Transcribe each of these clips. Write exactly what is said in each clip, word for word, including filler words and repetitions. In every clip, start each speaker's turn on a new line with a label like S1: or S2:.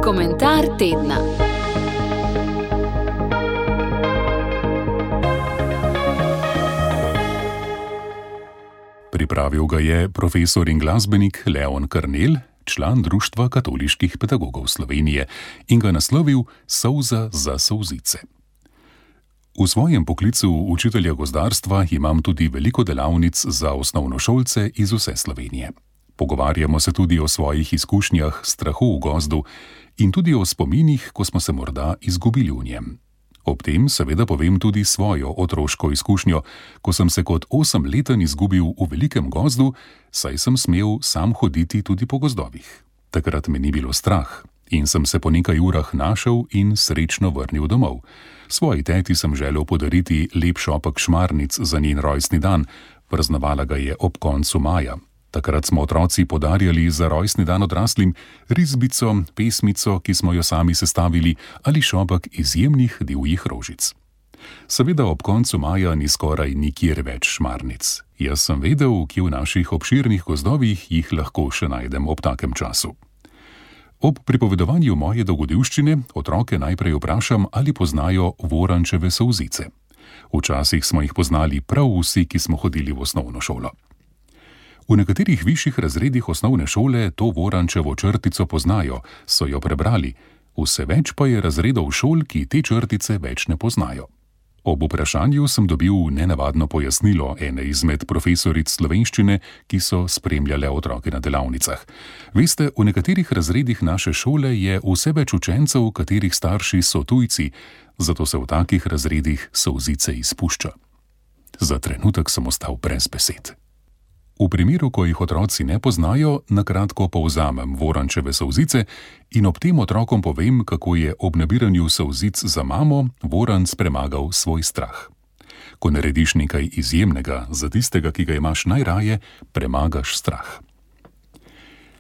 S1: Komentar tedna.
S2: Pripravil ga je profesor in glasbenik Leon Karnel, član Društva katoliških pedagogov Slovenije, in ga naslovil Solza za solzice. V svojem poklicu učitelja gozdarstva imam tudi veliko delavnic za osnovnošolce iz vse Slovenije. Pogovarjamo se tudi o svojih izkušnjah, strahu v gozdu in tudi o spominih, ko smo se morda izgubili v njem. Ob tem seveda povem tudi svojo otroško izkušnjo, ko sem se kot osemleten izgubil v velikem gozdu, saj sem smel sam hoditi tudi po gozdovih. Takrat me ni bilo strah in sem se po nekaj urah našel in srečno vrnil domov. Svoji teti sem želel podariti lep šopek šmarnic za njen rojstni dan, praznovala ga je ob koncu maja. Takrat smo otroci podarjali za rojstni dan odraslim risbico, pesmico, ki smo jo sami sestavili, ali šopek izjemnih divjih rožic. Seveda ob koncu maja ni skoraj nikjer več šmarnic. Jaz sem vedel, kje v naših obširnih gozdovih jih lahko še najdem ob takem času. Ob pripovedovanju moje dogodivščine otroke najprej vprašam, ali poznajo vorančeve solzice. Včasih smo jih poznali prav vsi, ki smo hodili v osnovno šolo. V nekaterih višjih razredih osnovne šole to vorančevo črtico poznajo, so jo prebrali, vse več pa je razredov šol, ki te črtice več ne poznajo. Ob vprašanju sem dobil nenavadno pojasnilo ene izmed profesoric slovenščine, ki so spremljale otroke na delavnicah. Veste, v nekaterih razredih naše šole je vse več učencev, katerih starši so tujci, zato se v takih razredih solzice izpušča. Za trenutek sem ostal brez besed. V primeru, ko jih otroci ne poznajo, na kratko povzamem vorančeve solzice in ob tem otrokom povem, kako je ob nabiranju solzic za mamo voranc premagal svoj strah. Ko narediš nekaj izjemnega za tistega, ki ga imaš najraje, premagaš strah.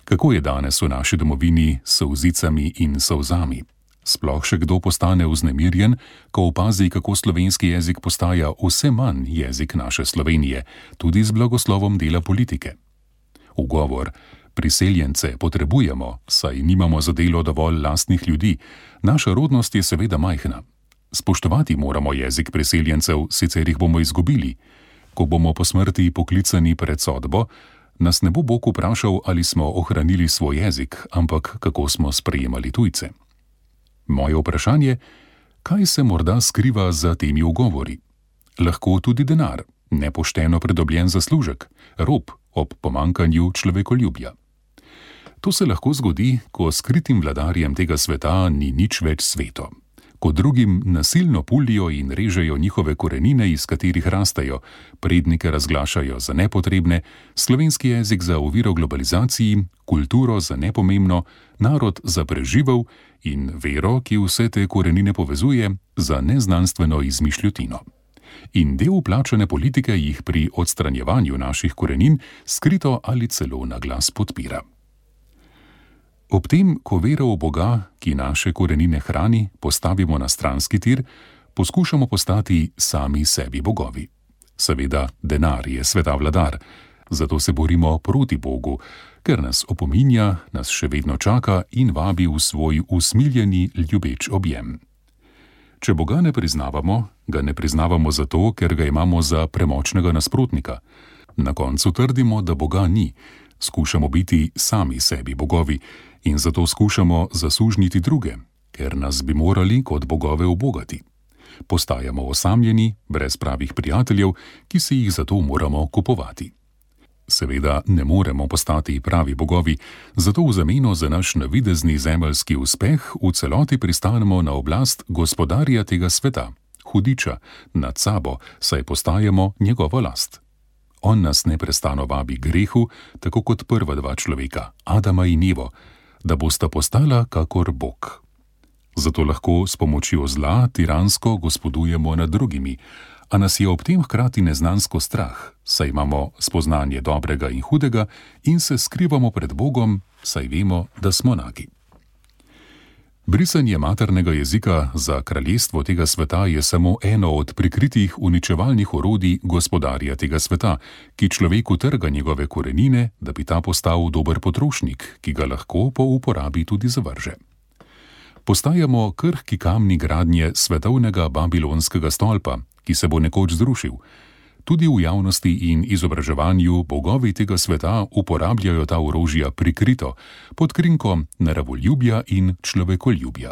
S2: Kako je danes v naši domovini s solzicami in solzami? Sploh še kdo postane vznemirjen, ko opazi, kako slovenski jezik postaja vse manj jezik naše Slovenije, tudi z blagoslovom dela politike. Ugovor: priseljence potrebujemo, saj nimamo za delo dovolj lastnih ljudi, naša rodnost je seveda majhna. Spoštovati moramo jezik priseljencev, sicer jih bomo izgubili. Ko bomo po smrti poklicani pred sodbo, nas ne bo Bog vprašal, ali smo ohranili svoj jezik, ampak kako smo sprejemali tujce. Moje vprašanje: kaj se morda skriva za temi ugovori? Lahko tudi denar, nepošteno pridobljen zaslužek, rop ob pomanjkanju človekoljubja. To se lahko zgodi, ko skritim vladarjem tega sveta ni nič več sveto, ko drugim nasilno pulijo in režejo njihove korenine, iz katerih rastejo, prednike razglašajo za nepotrebne, slovenski jezik za oviro globalizaciji, kulturo za nepomembno, narod za preživel in vero, ki vse te korenine povezuje, za neznanstveno izmišljotino. In del plačane politike jih pri odstranjevanju naših korenin skrito ali celo na glas podpira. Ob tem, ko vero v Boga, ki naše korenine hrani, postavimo na stranski tir, poskušamo postati sami sebi bogovi. Seveda, denar je sveta vladar, zato se borimo proti Bogu, ker nas opominja, nas še vedno čaka in vabi v svoj usmiljeni, ljubeč objem. Če Boga ne priznavamo, ga ne priznavamo zato, ker ga imamo za premočnega nasprotnika. Na koncu trdimo, da Boga ni, skušamo biti sami sebi bogovi in zato skušamo zasužniti druge, ker nas bi morali kot bogove ubogati. Postajamo osamljeni, brez pravih prijateljev, ki si jih zato moramo kupovati. Seveda ne moremo postati pravi bogovi, zato v zameno za naš navidezni zemeljski uspeh v celoti pristanemo na oblast gospodarja tega sveta, hudiča, nad sabo, saj postajamo njegova last. On nas neprestano vabi grehu, tako kot prva dva človeka, Adama in Evo, da bosta postala kakor Bog. Zato lahko s pomočjo zla tiransko gospodujemo nad drugimi, a nas je ob tem hkrati neznansko strah, saj imamo spoznanje dobrega in hudega in se skrivamo pred Bogom, saj vemo, da smo nagi. Brisanje maternega jezika za kraljestvo tega sveta je samo eno od prikritih uničevalnih orodij gospodarja tega sveta, ki človeku trga njegove korenine, da bi ta postal dober potrošnik, ki ga lahko po uporabi tudi zavrže. Postajamo krhki kamni gradnje svetovnega babilonskega stolpa, ki se bo nekoč zrušil. Tudi v javnosti in izobraževanju bogovi tega sveta uporabljajo ta orožja prikrito, pod krinko naravoljubja in človekoljubja.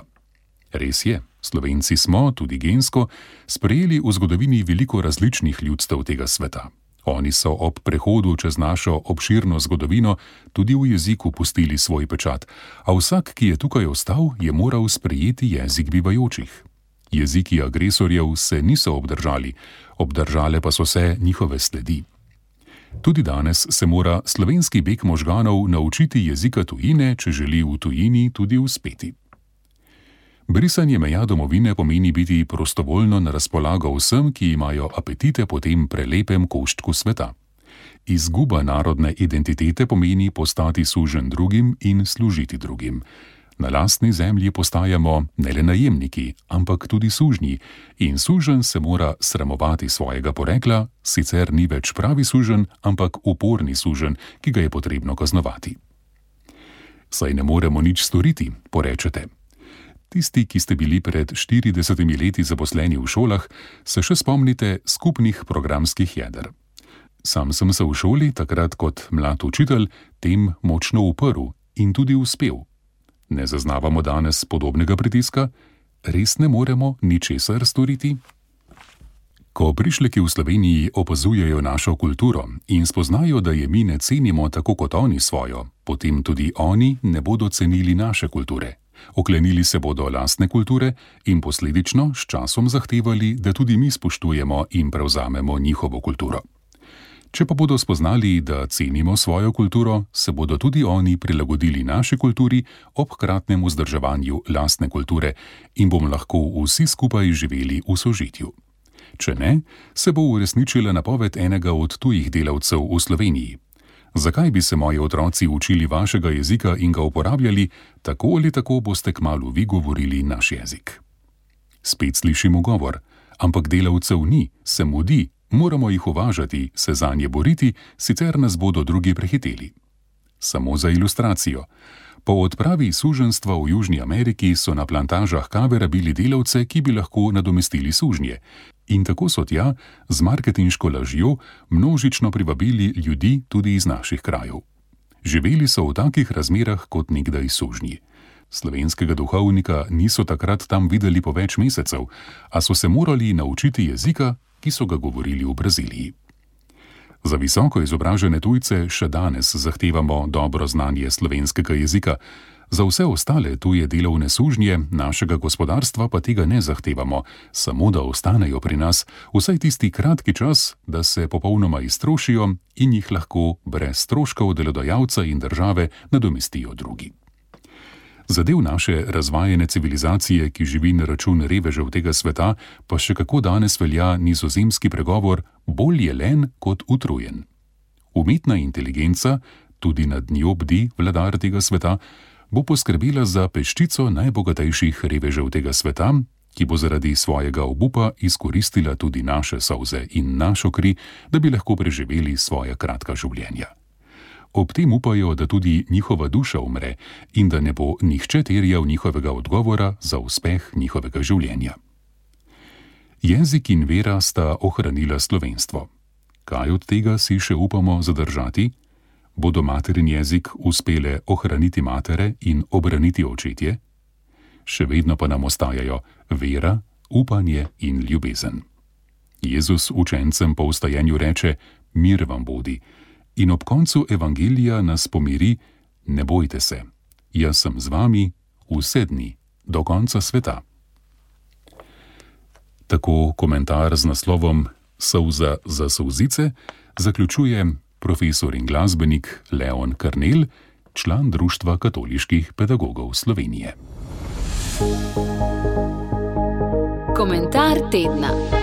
S2: Res je, Slovenci smo, tudi gensko, sprejeli v zgodovini veliko različnih ljudstev tega sveta. Oni so ob prehodu čez našo obširno zgodovino tudi v jeziku pustili svoj pečat, a vsak, ki je tukaj ostal, je moral sprejeti jezik bivajočih. Jeziki agresorjev se niso obdržali, obdržale pa so se njihove sledi. Tudi danes se mora slovenski beg možganov naučiti jezika tujine, če želi v tujini tudi uspeti. Brisanje meja domovine pomeni biti prostovoljno na razpolago vsem, ki imajo apetite po tem prelepem koščku sveta. Izguba narodne identitete pomeni postati suženj drugim in služiti drugim. Na lastni zemlji postajamo ne le najemniki, ampak tudi sužnji, in suženj se mora sramovati svojega porekla, sicer ni več pravi suženj, ampak uporni suženj, ki ga je potrebno kaznovati. Saj ne moremo nič storiti, porečete. Tisti, ki ste bili pred štiridesetimi leti zaposleni v šolah, se še spomnite skupnih programskih jeder. Sam sem se v šoli, takrat kot mlad učitelj, tem močno uprl in tudi uspel. Ne zaznavamo danes podobnega pritiska? Res ne moremo ničesar storiti? Ko prišleki v Sloveniji opazujejo našo kulturo in spoznajo, da je mi ne cenimo tako kot oni svojo, potem tudi oni ne bodo cenili naše kulture. Oklenili se bodo lastne kulture in posledično s časom zahtevali, da tudi mi spoštujemo in prevzamemo njihovo kulturo. Če pa bodo spoznali, da cenimo svojo kulturo, se bodo tudi oni prilagodili naši kulturi ob hkratnem vzdrževanju lastne kulture in bomo lahko vsi skupaj živeli v sožitju. Če ne, se bo uresničila napoved enega od tujih delavcev v Sloveniji. Zakaj bi se moji otroci učili vašega jezika in ga uporabljali, tako ali tako boste kmalu vi govorili naš jezik. Spet slišimo govor, ampak delavcev ni, se mudi. Moramo jih uvažati, se zanje boriti, sicer nas bodo drugi prehiteli. Samo za ilustracijo. Po odpravi suženjstva v Južni Ameriki so na plantažah kave rabili delavce, ki bi lahko nadomestili sužnje. In tako so tja, z marketinško lažjo, množično privabili ljudi tudi iz naših krajev. Živeli so v takih razmerah kot nekdaj sužnji. Slovenskega duhovnika niso takrat tam videli po več mesecev, a so se morali naučiti jezika, ki so ga govorili v Braziliji. Za visoko izobražene tujce še danes zahtevamo dobro znanje slovenskega jezika, za vse ostale tuje delovne sužnje našega gospodarstva pa tega ne zahtevamo, samo da ostanejo pri nas vsaj tisti kratki čas, da se popolnoma iztrošijo in jih lahko brez stroškov delodajalca in države nadomestijo drugi. Za del naše razvajene civilizacije, ki živi na račun revežev tega sveta, pa še kako danes velja nizozemski pregovor bolj je len kot utrujen. Umetna inteligenca, tudi nad njo bdi vladar tega sveta, bo poskrbela za peščico najbogatejših revežev tega sveta, ki bo zaradi svojega obupa izkoristila tudi naše solze in našo kri, da bi lahko preživeli svoja kratka življenja. Ob tem upajo, da tudi njihova duša umre in da ne bo nihče terjal njihovega odgovora za uspeh njihovega življenja. Jezik in vera sta ohranila slovenstvo. Kaj od tega si še upamo zadržati? Bodo materin jezik uspele ohraniti matere in obraniti očetje? Še vedno pa nam ostajajo vera, upanje in ljubezen. Jezus učencem po vstajenju reče: mir vam bodi. In ob koncu evangelija nas pomiri: ne bojte se, jaz sem z vami vse dni, do konca sveta. Tako komentar z naslovom Solza za solzice zaključuje profesor in glasbenik Leon Karnel, član Društva katoliških pedagogov Slovenije.
S1: Komentar tedna.